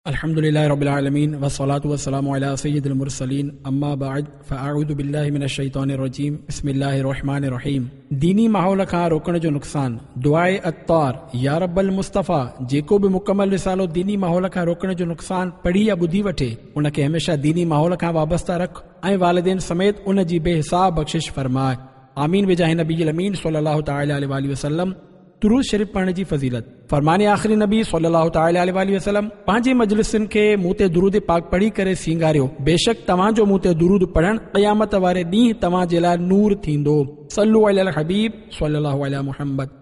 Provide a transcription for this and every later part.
الحمد لله رب العالمين والصلاة والسلام على سيد المرسلين اما بعد فاعوذ بالله من الشيطان الرجيم بسم الله الرحمن الرحيم ديني ماحول کان روڪڻ جو نقصان دعاء عطار يا رب المصطفيٰ جيڪو به مڪمل رسالو ديني ماحول کان روڪڻ جو نقصان پڙهي يا ٻڌي وٺي ان کي هميشه ديني ماحول کان وابسته رک ۽ والدين سميت ان جي بي حساب بخشش فرماء آمين بجاه نبي الامين صلي الله تعالٰي عليه واٰله وسلم درود شريف پڙهڻ جي فضيلت فرمان آخري نبي صلي الله تعالٰي عليه واٰله وسلم پنهنجي مجلسن کي مون تي درود پاڪ پڙهي ڪري سينگاريو بيشڪ توهان جو مون تي درود پڙهڻ قيامت واري ڏينهن توهان جي لاء نور ٿيندو صلو علي الحبيب صلي الله علي محمد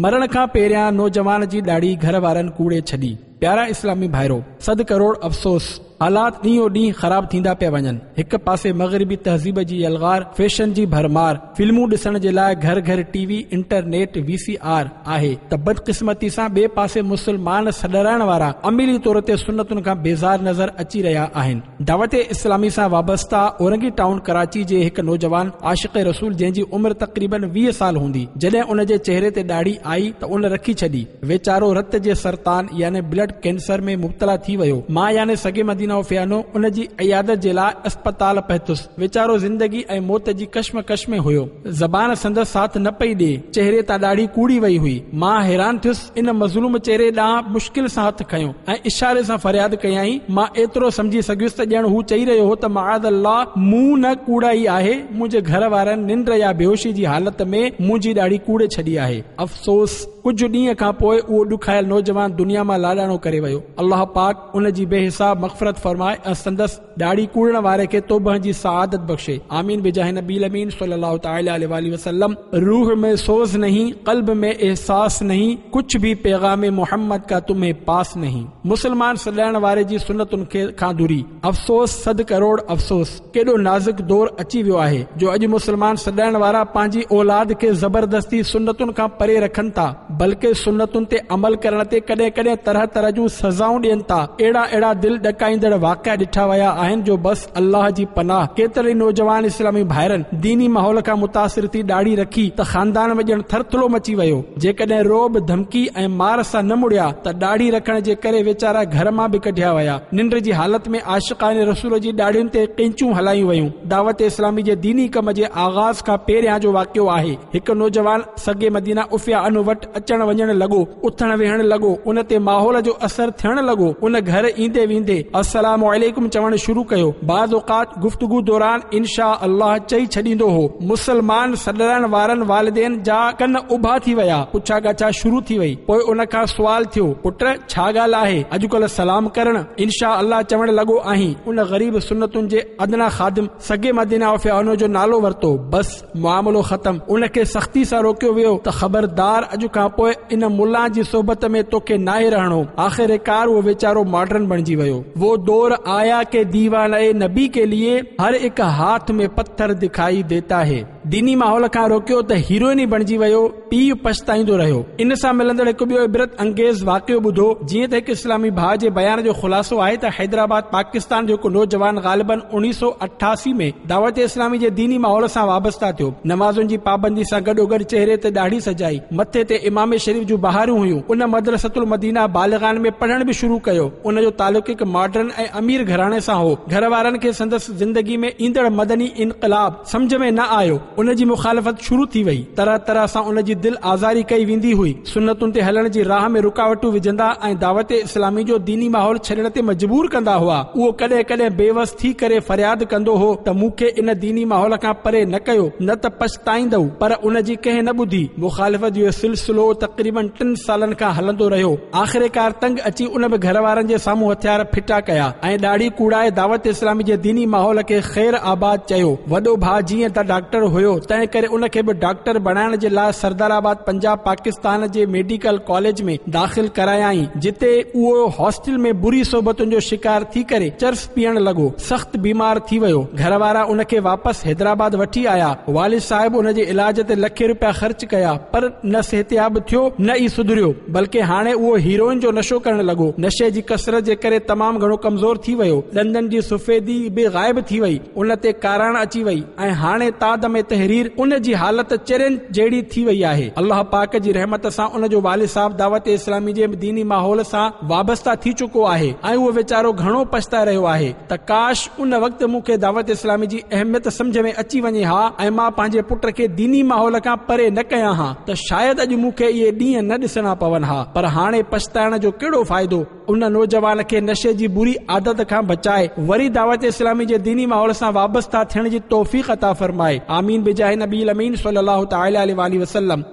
مرڻ کان پهريان نوجوان جي ڏاڙهي گهر وارن ڪوڙي ڇڏي. پيارا اسلامي ڀائرو! صد ڪروڙ افسوس! حالات ڏينهون ڏينهن خراب ٿيندا پيا وڃن. هڪ پاسي مغربي تهذيب جي يلغار، فيشن جي ڀرمار، فلمون ڏسڻ جي لاء گهر گهر T V, internet, V C R آهي ته بدقسمتي سان ٻئي پاسي مسلمان سڏرائڻ وارا عملي طور تي سنتن کان بيزار نظر اچي رهيا آهن. دعوت اسلامي سان وابسته اورنگي ٽائون ڪراچي جي هڪ نوجوان عاشق رسول جنهن جي عمر تقريبن 20 سال هوندي جڏهن ان جي چهري تي ڏاڙهي آئي ته ان رکي ڇڏي ويچارو رت جي سرطان يعني بلڊ ڪينسر ۾ مبتلا ٿي ويو مان يعني سگي مدينه فيانو ان جي عيادت جي لاء اسپتال پهتس ويچارو زندگي ۽ موت جي ڪشمڪش ۾ هيو زبان سندس ساٿ نه پئي ڏي چهري تان ڏاڙهي ڪوڙي وئي هئي مان حيران ٿيس ان مظلوم چهري ڏانهن مشڪل سان هٿ کنيو ۽ اشاري سان فرياد ڪيائين. مان ايترو سمجهي سگهيس ته ڄڻ هو چئي رهيو هو ته معاذ الله مون نه ڪوڙائي آهي، منهنجي گهر وارن ننڊ يا بيهوشي جي حالت ۾ منهنجي ڏاڙهي ڪوڙي ڇڏي آهي. افسوس! ڪجهه ڏينهن کان پوء اهو ڏکايل نوجوان دنيا مان لاڏاڻو ڪري ويو. الله پاڪ ان جي بي حساب مغفرت فرمائي ۽ سندس ڏاڙهي ڪوڙڻ واري کي توبه جي سعادت بخشي آمين بجاه نبي الامين صلي الله تعالي عليه واله وسلم روح ۾ سوز نهين قلب ۾ احساس نهين ڪڇ ڀي پيغام محمد ڪا تمهين پاس نهين مسلمان سڏائڻ واري جي سنتن کي کان دوري افسوس صد ڪروڙ افسوس ڪيڏو نازڪ دور اچي ويو آهي جو اڄ مسلمان سڏائڻ وارا پنهنجي اولاد کي زبردستي سنتن کان پري رکن ٿا بلڪه سنتن تي عمل ڪرڻ تي ڪڏهن ڪڏهن طرح طرح جون سزائون ڏين ٿا. اهڙا اهڙا دل ڏڪائيندڙ واقعا ڏٺا ويا آهن جو بس الله جي پناهه. ڪيترن ئي نوجوان اسلامي ڀائرن ديني ماحول کان متاثر ٿي ڏاڙهي رکي ته خاندان ۾ ڄڻ ٿرٿلو مچي ويو. جيڪڏهن رعب، ڌمڪي ۽ مار سان نه مڙيا ته ڏاڙهي رکڻ جي ڪري ويچارا گهر مان به ڪڍيا ويا. ننڊ جي حالت ۾ عاشقان رسول جي ڏاڙهين تي قينچون هلايون ويون. دعوت اسلامي جي ديني ڪم جي آغاز کان پهريان جو واقعو آهي. هڪ نوجوان سگي مدينه عفيه عنه وٽ اچڻ وڃڻ لڳو، اٿڻ ويهڻ لڳو، ان تي ماحول جو اثر ٿيڻ لڳو، ان گهر ايندي ويندي السلام عليڪم چوڻ شروع ڪيو، بعض اوقات گفتگو دوران ان شاء الله چئي ڇڏيندو هو، مسلمان سڏرائڻ وارن والدين جا ڪن اڀا ٿي ويا، پڇا ڳاڇا شروع ٿي وئي، پوء ان کان سوال ٿيو، پٽ ڇا ڳالهه آهي، اڄڪلهه سلام ڪرڻ، ان شاء الله چوڻ لڳو آهين، ان غريب سنتن جي ادنيٰ خادم سگي مدينه عفيه عنه جو نالو ورتو، بس. معاملو ختم، ان کي سختي سان روڪيو ويو ته خبردار اڄ کان پوء ان ملان جي صحبت ۾ توکي ناهي رهڻو، آخرڪار اهو ويچارو ماڊرن بڻجي ويو. وو دور آيا ڪي ديوانه نبي ڪي ليي هر اڪ هاٿ ۾ پٿر دکائي ديتا هي. ديني ماحول کان روڪيو ته هيروئن ئي بڻجي ويو، پيء پڇتائيندو رهيو. ان سان ملندڙ هڪ ٻيو عبرت انگيز واقعو ٻڌو، جيئن ته هڪ اسلامي ڀاء جي بيان جو خلاصو آهي ته حيدرآباد پاڪستان جو هڪ نوجوان غالباً 1988 ۾ دعوت اسلامي جي ديني ماحول سان وابسته ٿيو. نمازن جي پابندي سان گڏوگڏ چهري تي ڏاڙهي سجائي، مٿي تي عمامي شريف جون بهاريون هيون. ان مدرسة المدينه بالغان ۾ پڙهڻ به شروع ڪيو. ان جو تعلق هڪ ماڊرن ۽ امير گهراڻي سان هو. گهر وارن کي سندس زندگي ۾ ايندڙ مدني انقلاب سمجهه ۾ نه آيو. ان جي مخالفت شروع ٿي وئي. طرح طرح سان ان جي دل آزاري ڪئي ويندي هئي. سنتن تي هلڻ جي راهه ۾ رڪاوٽون وجهندا ۽ دعوت اسلامي جو ديني ماحول ڇڏڻ تي مجبور ڪندا هئا. اهو ڪڏهن ڪڏهن بي وس ٿي ڪري فرياد ڪندو هو ته مون کي ان ديني ماحول کان پري نه ڪيو نه ته پڇتائيندؤ پر ان جي ڪنهن نه ٻڌي. مخالفت جو اهو سلسلو تقريبن ٽن سالن کان هلندو رهيو. آخرڪار تنگ اچي ان به گهر وارن جي سامهون هٿيار ڦٽا ڪيا ۽ ڏاڙهي ڪوڙائي دعوت اسلامي جي ديني ماحول کي خير آباد چيو. وڏو ڀاء جيئن ته ڊاڪٽر هيو تنهن ڪري ان کي به ڊاڪٽر بڻائڻ جي لاء سردار آباد پنجاب پاڪستان جي ميڊيڪل ڪاليج ۾ داخل ڪرايائين جتي اهو هاسٽل ۾ بري صحبتن جو شڪار ٿي ڪري چرس پيئڻ لڳو سخت بيمار ٿي ويو گهر وارا ان کي واپس حيدرآباد وٺي آيا والد صاحب ان جي علاج تي لکين روپيا خرچ ڪيا پر نه صحتياب ٿيو نه ئي سڌريو بلڪه هاڻي اهو هيروئن جو نشو ڪرڻ لڳو نشي جي ڪثرت جي ڪري تمام گهڻو ڪمزور ٿي ويو، ڏندن جي سفيدي به غائب ٿي وئي، ان تي ڪاراڻ اچي وئي ۽ هاڻي تادم تحرير ان جي حالت چرين جهڙي ٿي وئي آهي. الله پاڪ جي رحمت سان ان جو والد صاحب دعوت اسلامي جي ديني ماحول سان وابسته ٿي چڪو آهي ۽ اهو ويچارو گهڻو پڇتائي رهيو آهي ته ڪاش ان وقت مون کي دعوت اسلامي جي اهميت سمجهه ۾ اچي وڃي ها ۽ مان پنهنجي پٽ کي ديني ماحول کان پري نه ڪيان ها ته شايد اڄ مون کي اهي ڏينهن نه ڏسڻا پون ها پر هاڻي پڇتائڻ جو ڪهڙو فائدو؟ ان نوجوان کي نشي جي بري عادت کان بچائي وري دعوت اسلامي جي ديني ماحول سان وابسته ٿيڻ جي توفيق عطا فرمائي آمين بجاه نبي الامين صلي الله تعالي عليه واله وسلم.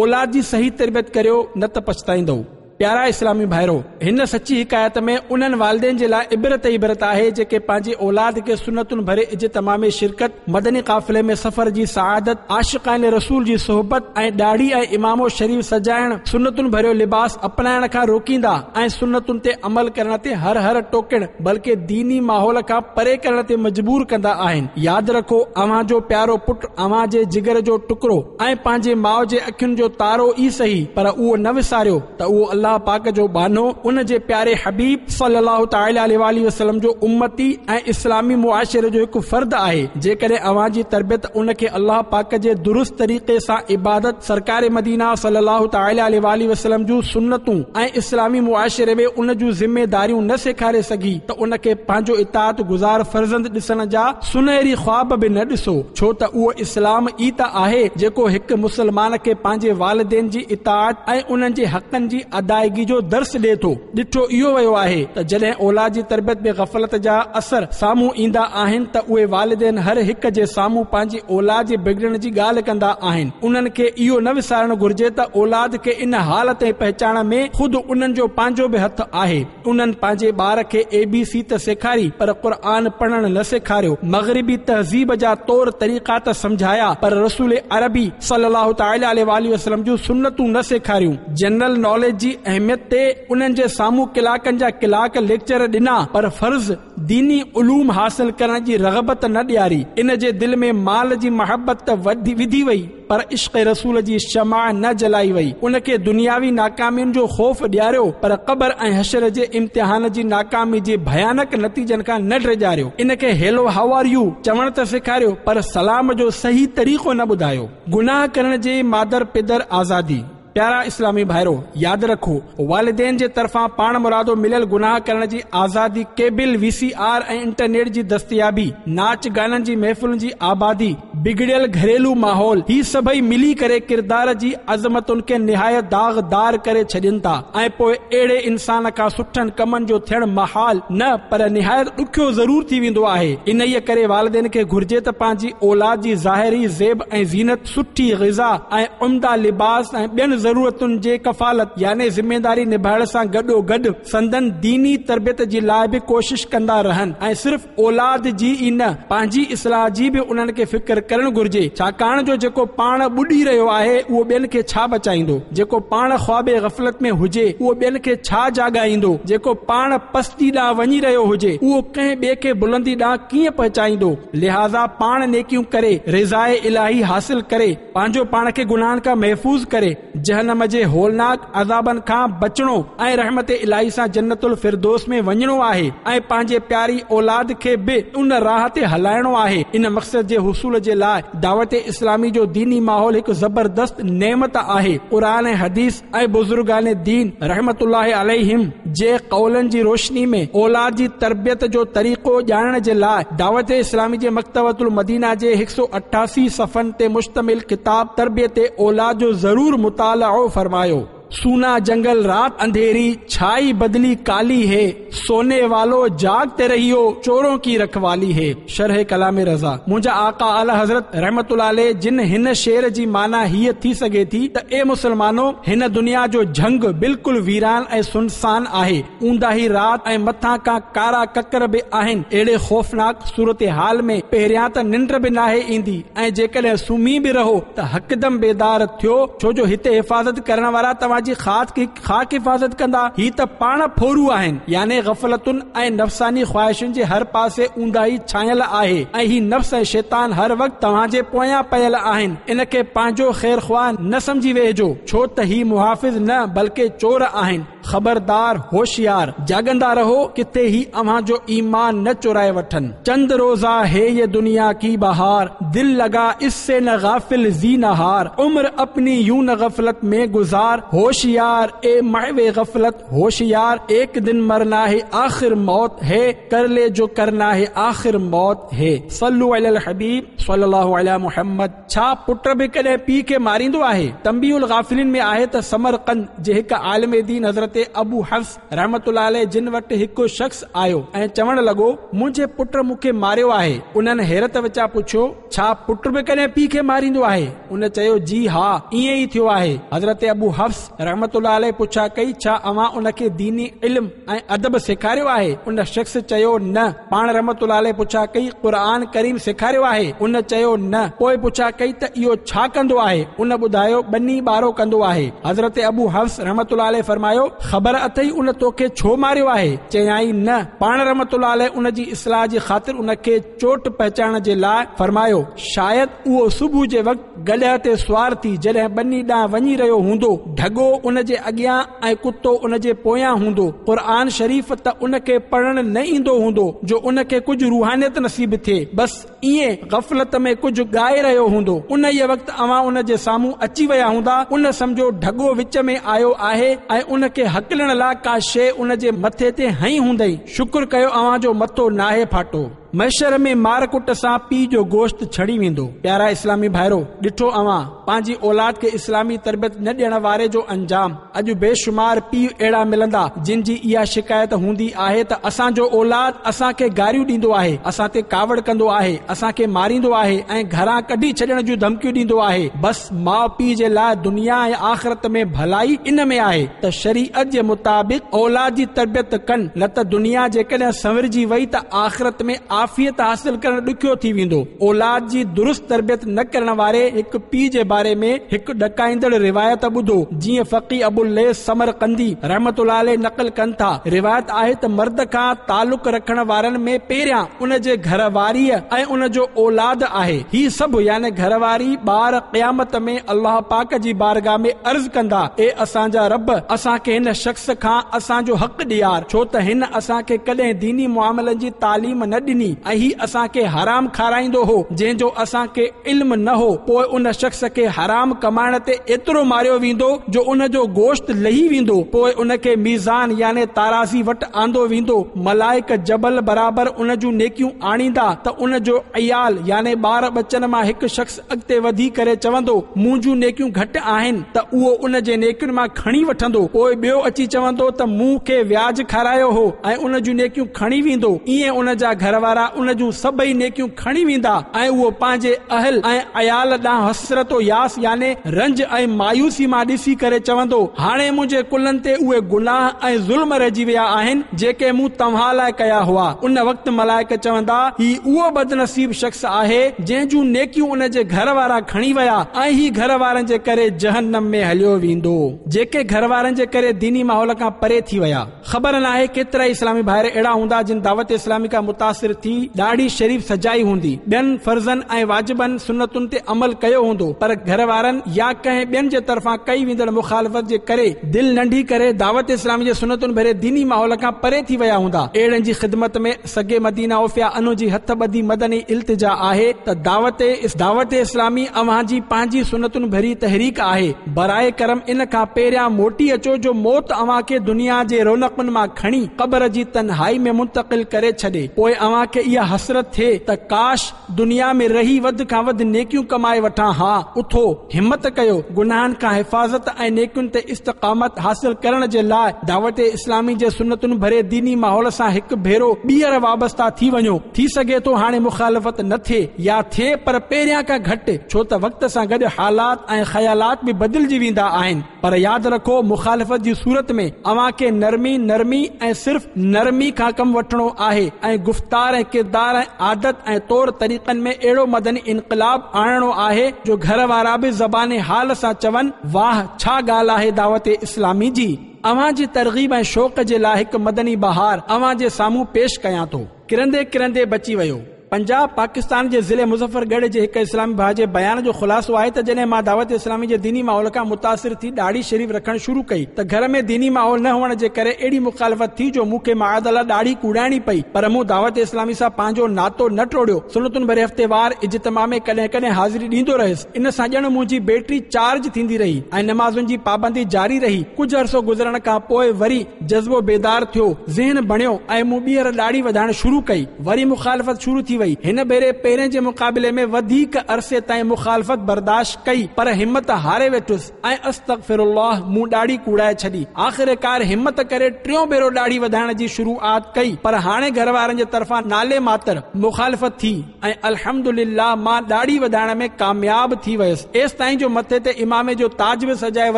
اولاد جي صحيح تربيت ڪريو نه ته پڇتائيندؤ. پيارا اسلامي ڀائرو! هن سچي حڪايت ۾ انهن والدين جي لاء عبرت ئي عبرت آهي جيڪي پنهنجي اولاد کي سنتن ڀري اجتماع ۾ شرڪت، مدني قافلي ۾ سفر جي سعادت، عاشقان رسول جي صحبت ۽ ڏاڙهي ۽ عمامو شريف سجائڻ، سنتن ڀريو لباس اپنائڻ کان روڪيندا ۽ سنتن تي عمل ڪرڻ تي هر هر ٽوڪڻ بلڪه ديني ماحول کان پري ڪرڻ تي مجبور ڪندا آهن. ياد رکو! اوهان جو پيارو پٽ اوهان جي جگر جو ٽڪرو ۽ پنهنجي ماء جي اکين جو تارو ئي سهي پر اهو نه وساريو ته اهو الله پاڪ جو ٻانهو ان جي پياري حبيب صلّي الله تعالٰي عليه واٰله وسلّم جو امتي ۽ اسلامي معاشري جو هڪ فرد آهي جيڪڏهن اوهان جي تربيت ان کي الله پاڪ جي درست طريقي سان عبادت سرڪار مدينه صلّي الله تعالٰي عليه واٰله وسلّم جون سنتون ۽ اسلامي معاشري ۾ ان جون ذميداريون نه سيکاري سگهي ته ان کي پنهنجو اطاعت گذار فرزند ڏسڻ جا سنهري خواب به نه ڏسو ڇو ته اهو اسلام ئي ته آهي جيڪو هڪ مسلمان کي پنهنجي والدين جي اطاعت ۽ انهن جي حقن جي ادائگي جو درس ڏئي ٿو. ڏٺو اهو ويو آهي ته جڏهن اولاد جي تربيت ۾ غفلت جا اثر سامهون ايندا آهن ته اهي والدين هر هڪ جي سامهون پنهنجي اولاد جي بگڙڻ جي ڳالهه ڪندا آهن. انهن کي اهو نه وسارڻ گهرجي ته اولاد کي ان حال تائين پهچائڻ ۾ خود انهن جو پنهنجو به هٿ آهي. انهن پنهنجي ٻار کي اي بي سي ته سيکاري پر قرآن پڙهڻ نه سيکاريو، مغربي تهذيب جا طور طريقا ته سمجهايا پر رسول عربي صلي الله تعالٰي عليه واٰله وسلم جون سنتون نه سيکاريون، جنرل ناليج جي اهميت تي انهن جي سامهون ڪلاڪن جا ڪلاڪ ليڪچر ڏنا پر فرض ديني علوم حاصل ڪرڻ جي رغبت نه ڏياري، ان جي دل ۾ مال جي محبت ته وڌي وئي. پر عشق رسول جي شمع نه جلائي وئي، ان کي دنياوي ناڪامين جو خوف ڏياريو، پر قبر ۽ حشر جي امتحان جي ناڪامي جي ڀيانڪ نتيجن کان نه ڊيڄاريو، ان کي هيلو how are you چوڻ ته سيکاريو، پر سلام جو صحيح طريقو نه ٻڌايو. گناهه ڪرڻ جي مادر پدر آزادي. پيارا اسلامي ڀائرو! ياد رکو! والدين جي طرفان پاڻمرادو مليل گناهه ڪرڻ جي آزادي cable, V C R ۽ internet جي دستيابي، ناچ گانن جي محفلن جي آبادي، بگڙيل گهريلو ماحول، هي سڀئي ملي ڪري ڪردار جي عظمتن کي نهايت داغدار ڪري ڇڏين ٿا ۽ پوء اهڙي انسان کان سٺن ڪمن جو ٿيڻ محال نه پر نهايت ڏکيو ضرور ٿي ويندو آهي. انهيء ڪري والدين کي گهرجي ته پنهنجي اولاد جي ظاهري زيب ۽ زينت، سٺي غذا ۽ عمده لباس ۽ ٻين ضرورتن جي ڪفالت يعني ذميداري نڀائڻ سان گڏوگڏ سندن ديني تربيت جي لاء به ڪوشش ڪندا رهن ۽ صرف اولاد جي ئي نه پنهنجي اصلاح جي به انهن کي فڪر ڪرڻ گهرجي ڇاڪاڻ جو جيڪو پاڻ ٻڏي رهيو آهي اهو ٻين کي ڇا بچائيندو جيڪو پاڻ خواب غفلت ۾ هجي اهو ٻين کي ڇا جاڳائيندو جيڪو پاڻ پستي ڏانهن وڃي رهيو هجي اهو ڪنهن ٻئي کي بلندي ڏانهن ڪيئن پهچائيندو لهٰذا پاڻ نيڪيون ڪري رضاء الاهي حاصل ڪري پنهنجو پاڻ کي گناهن کان محفوظ ڪري جهنم جي هولناڪ عذابن کان بچڻو ۽ رحمت الاهي سان جنت الفردوس ۾ وڃڻو آهي ۽ پنهنجي پياري اولاد کي به ان راهه تي هلائڻو آهي. ان مقصد جي حصول جي لاء دعوت اسلامي جو ديني ماحول هڪ زبردست نعمت آهي. قرآن ۽ حديث ۽ بزرگان دين رحمة الله عليهم جي قولن جي روشني ۾ اولاد جي تربيت جو طريقو ڄاڻڻ جي لاء دعوت اسلامي جي مڪتبة المدينه جي هڪ سو 88 صفحن تي مشتمل ڪتاب تربيت اولاد جو ضرور مطالعو فرمايو. سونا جنگل رات انڌيري ڇائي بدلي ڪالي هي سوني والو جاگتي رهيو چورون ڪي رکوالي هي شرح ڪلام رضا منهنجا آقا اعليٰ حضرت رحمة الله عليه جن هن شعر جي معنيٰ هيء ٿي سگهي ٿي ته اي مسلمانو هن دنيا جو جهنگ بلڪل ويران ۽ سنسان آهي اونداهي رات ۽ مٿان کان ڪارا ڪڪر به آهن. اهڙي خوفناڪ صورتحال ۾ پهريان ته ننڊ به ناهي ايندي ۽ جيڪڏهن سمهي به رهو ته هڪدم بيدار ٿيو ڇو جو هتي حفاظت ڪرڻ وارا توهان جي خاڪ حفاظت ڪندا. هي ته پاڻ ڦورو آهن يعني غفلتن ۽ نفساني خواهشن جي هر پاسي اونداهي ڇانيل آهي ۽ هي نفس ۽ شيطان هر وقت توهان جي پويان پيل آهن. ان کي پنهنجو خيرخواهه نه سمجهي ويهجو ڇو ته هي محافظ نه بلڪه چور آهن. خبردار، هوشيار، جاڳندا رهو، ڪٿي هي اوهان جو ايمان نه چورائي وٺن. چند روزه هي يه دنيا ڪي بهار، دل لگا اس سي نه غافل زينهار، عمر اپني يون نه غفلت ۾ گذار، هوشيار، اي محو غفلت، هوشيار، ايڪ دن مرنا هي آخر موت هي، ڪر لي جو ڪرنا هي آخر موت هي. صلو علي الحبيب صلي الله علي محمد. ڇا پٽ به ڪڏهن پيء کي ماريندو آهي؟ تنبيه الغافلين ۾ آهي ته سمرقند جي هڪ عالم دين حضرت ابو حفص رحمة الله عليه جن وٽ هڪ شخص آيو ۽ چوڻ لڳو، منهنجي پٽ مون کي ماريو آهي. انهن حيرت وچان پڇيو، ڇا پٽ به ڪڏهن پيء کي ماريندو آهي؟ ان چيو، جي ها، ائين ئي ٿيو آهي. حضرت ابو حفص رحمة الله عليه پڇا ڪئي، ڇا اوهان ان کي ديني علم ۽ ادب سيکاريو آهي؟ ان شخص چيو، نه. پاڻ رحمة الله عليه پڇا ڪئي، قرآن ڪريم سيکاريو آهي؟ ان چيو، نه. پوء پڇا ڪئي ته اهو ڇا ڪندو آهي؟ ان ٻڌايو، ٻني ٻارو ڪندو آهي. حضرت ابو حفص رحمة الله عليه فرمايو، خبر اٿئي ان توکي ڇو ماريو آهي؟ چيائين، نه. پاڻ رحمة الله عليه ان جي اصلاح جي خاطر ان کي چوٽ پهچائڻ جي لاء فرمايو، شايد اهو صبح جي وقت گڏهه تي سوار ٿي جڏهن ٻني ڏانهن وڃي رهيو هوندو، ڍڳو ان جي اڳيان ۽ ڪتو ان جي پويان هوندو. قرآن شريف ته ان کي پڙهڻ نه ايندو هوندو جو ان کي ڪجهه روحانيت نصيب ٿئي. بس ائين غفلت ۾ ڪجهه ڳائي رهيو هوندو. انهيء وقت اوهان ان جي سامهون اچي ويا هوندا. ان سمجهيو ڍڳو وچ ۾ آيو آهي ۽ ان کي هڪلڻ لاء ڪا شيء ان جي مٿي تي هنئي هوندئي. شڪر ڪيو اوهان جو مٿو ناهي ڦاٽو. محشر ۾ مار ڪٽ سان پيء جو گوشت ڇڻي ويندو. پيارا اسلامي ڀائرو! ڏٺو اوهان پنهنجي اولاد کي اسلامي تربيت نه ڏيڻ واري جو انجام. اڄ بيشمار پيء اهڙا ملندا جن جي اها شڪايت هوندي آهي ته اسان جو اولاد اسان کي گاريون ڏيندو آهي، اسان تي ڪاوڙ ڪندو آهي، اسان کي ماريندو آهي ۽ گهران ڪڍي ڇڏڻ جون ڌمڪيون ڏيندو آهي. بس ماء پيء جي لاء دنيا ۽ آخرت ۾ ڀلائي ان ۾ آهي ته شريعت جي مطابق اولاد جي تربيت ڪن نه ته دنيا جيڪڏهن سنورجي وئي ته آخرت ۾ عافيت حاصل ڪرڻ ڏکيو ٿي ويندو. اولاد جي درست تربيت نه ڪرڻ واري هڪ پيء جي باري ۾ هڪ ڏڪائيندڙ روايت ٻڌو، جيئن فقيه ابوالليث سمرقندي رحمة الله عليه نقل ڪن ٿا، روايت آهي ته مرد کان تعلق رکڻ وارن ۾ پهريان ان جي گهر واريء ۽ ان جو اولاد آهي. هي سڀ يعني گهر واري، ٻار، قيامت ۾ الله پاڪ جي بارگاھ ۾ عرض ڪندا، اي اسان جا رب! اسان کي هن شخص کان اسان جو حق ڏيار، ڇو ته هن اسان کي ڪڏهن ديني معاملن جي تعليم نه ڏني ۽ هي اسان کي حرام کارائيندو هو، جنهن جو اسان کي علم نه هو. پوء ان شخص کي حرام ڪمائڻ تي ايترو ماريو ويندو جو ان جو گوشت لهي ويندو، پوء ان کي ميزان يعني تارازي وٽ آندو ويندو، ملائڪ جبل برابر ان جون نيڪيون آڻيندا ته ان جو عيال يعني ٻار ٻچن مان هڪ شخص اڳتي وڌي ڪري چوندو، منهنجون نيڪيون گهٽ آهن ته اهو ان جي نيڪين مان کڻي وٺندو، پوء ٻيو اچي چوندو ته مون کي وياج کارايو هو ۽ ان جون نيڪيون کڻي ويندو، ائين ان جا گهر وارا ان جون سڀئي نيڪيون کڻي ويندا ۽ اهو پنهنجي اهل ۽ عيال ڏانهن حسرت و ياس يعني رنج ۽ مايوسي مان ڏسي ڪري چوندو، هاڻي منهنجي ڪلهن تي اهي گناهه ۽ ظلم رهجي ويا آهن، جيڪي مون توهان لاء ڪيا هئا. ان وقت ملائڪ چوندا، هي اهو بدنصيب شخص آهي، جنهن جون نيڪيون ان جي گهر وارا کڻي ويا ۽ هي گهر وارن جي ڪري جهنم ۾ هليو ويندو. جيڪي گهر وارن جي ڪري ديني ماحول کان پري ٿي ويا. خبر ناهي ڪيترائي اسلامي ڀائر اهڙا هوندا جن دعوت اسلامي کان متاثر ٿي ڏاڙهي شريف سجائي هوندي، ٻين فرضن ۽ واجبن، سنتن تي عمل ڪيو هوندو پر گهر وارن يا ڪنهن ٻين جي طرفان ڪئي ويندڙ مخالفت جي ڪري دل ننڍي ڪري دعوت اسلامي جي سنتن ڀري ديني ماحول کان پري ٿي ويا هوندا. اهڙن جي خدمت ۾ سگي مدينه عوفيه عنه جي هٿ ٻڌي مدني التجا آهي ته دعوت دعوت اسلامي اوهان جي پنهنجي سنتن ڀري تحريڪ آهي براء ڪرم ان کان پهريان موٽي اچو جو موت اوهان کي دنيا جي رونقن مان کڻي قبر جي تنهائي ۾ منتقل ڪري ڇڏي پوء اوهان کي اها حسرت ٿئي ته ڪاش دنيا ۾ رهي وڌ کان وڌ نيڪيون ڪمائي وٺان ها. اٿو، همت ڪيو، گناهن کان حفاظت ۽ نيڪين تي استقامت حاصل ڪرڻ جي لاء دعوت اسلامي جي سنتن ڀري ديني ماحول سان هڪ ڀيرو ٻيهر وابسته ٿي وڃو. ٿي سگهي ٿو هاڻي مخالفت نه ٿئي يا ٿئي پر پهريان کان گهٽ، ڇو ته وقت سان گڏ حالات ۽ خيالات به بدلجي ويندا آهن. پر ياد رکو مخالفت جي صورت ۾ اوهان کي نرمي، نرمي ۽ صرف نرمي کان ڪم وٺڻو آهي ۽ گفتار ۽ ڪردار ۽ عادت ۽ طور طريقن ۾ اهڙو مدني انقلاب آڻڻو آهي جو گهر وارا به زبان حال سان چون واهه ڇا ڳالهه آهي دعوت اسلامي جي. اوهان جي ترغيب ۽ شوق جي لاء هڪ مدني بهار اوهان جي سامهون پيش ڪيان ٿو. ڪرندي ڪرندي بچي ويو. پنجاب، پاڪستان جي ضلعي مظفر ڳڙهه جي هڪ اسلامي ڀاء جي بيان جو خلاصو آهي ته جڏهن مان دعوت اسلامي جي ديني ماحول کان متاثر ٿي ڏاڙهي شريف رکڻ شروع ڪئي ته گهر ۾ ديني ماحول نه هئڻ جي ڪري اهڙي مخالفت ٿي جو مون کي معاذ الله ڏاڙهي ڪوڙائڻي پئي پر مون دعوت اسلامي سان پنهنجو ناتو نه ٽوڙيو سنتن ڀري هفتيوار اجتماع ۾ ڪڏهن ڪڏهن حاضري ڏيندو رهيس ان سان ڄڻ منهنجي بيٽري چارج ٿيندي رهي ۽ نمازن جي پابندي جاري رهي ڪجهه عرصو گذرڻ کان پوء وري جذبو بيدار ٿيو ذهن بڻيو ۽ مون ٻيهر ڏاڙهي وڌائڻ شروع ڪئي. وري مخالفت شروع ٿي وئي. هن ڀيري پهرين جي مقابلي ۾ وڌيڪ عرصي تائين مخالفت برداشت ڪئي پر همت هاري ويٺس ۽ استغفر الله مون ڏاڙهي ڪوڙائي ڇڏي. آخرڪار همت ڪري ٽيون ڀيرو ڏاڙهي وڌائڻ جي شروعات ڪئي پر هاڻي گهر وارن جي طرفان نالي ماتر مخالفت ٿي ۽ الحمدلله مان ڏاڙهي وڌائڻ ۾ ڪامياب ٿي ويس. ايستائين جو مٿي تي عمامي جو تاج به سجائي